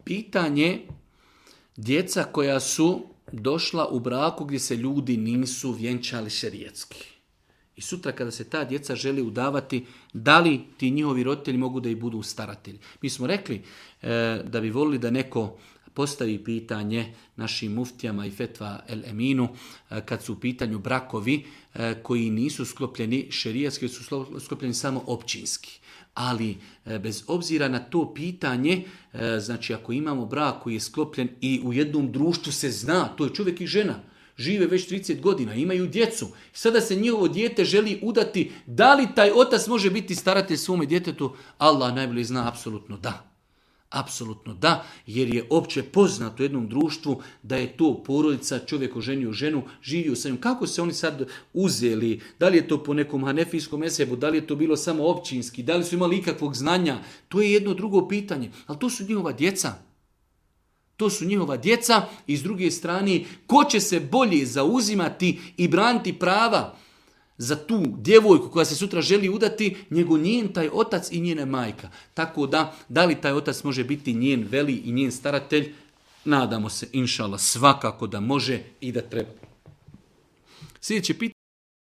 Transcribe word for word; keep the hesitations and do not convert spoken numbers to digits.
pitanje djeca koja su došla u braku gdje se ljudi nisu vjenčali šerijetski. I sutra kada se ta djeca želi udavati, da li ti njihovi roditelji mogu da i budu staratelji? Mi smo rekli e, da bi volili da neko postavi pitanje našim muftijama i fetva el eminu e, kad su u pitanju brakovi e, koji nisu sklopljeni šerijatski, su sklopljeni samo općinski. Ali e, bez obzira na to pitanje, e, znači ako imamo brak koji je sklopljen i u jednom društvu se zna, to je čovjek i žena, žive već trideset godina, imaju djecu. Sada se njihovo dijete želi udati. Da li taj otac može biti staratelj svome djetetu? Allah najbolje zna, apsolutno da. Apsolutno da, jer je opće poznato u jednom društvu da je to porodica, čovjek oženio ženu, živio sa njom. Kako se oni sad uzeli? Da li je to po nekom hanefijskom mesebu? Da li je to bilo samo općinski? Da li su imali ikakvog znanja? To je jedno drugo pitanje. Ali to su njihova djeca. To su njihova djeca i s druge strane, ko će se bolje zauzimati i braniti prava za tu djevojku koja se sutra želi udati, nego njen taj otac i njena majka. Tako da, da li taj otac može biti njen veli i njen staratelj? Nadamo se, inšallah, svakako da može i da treba. Sljedeće pitanje.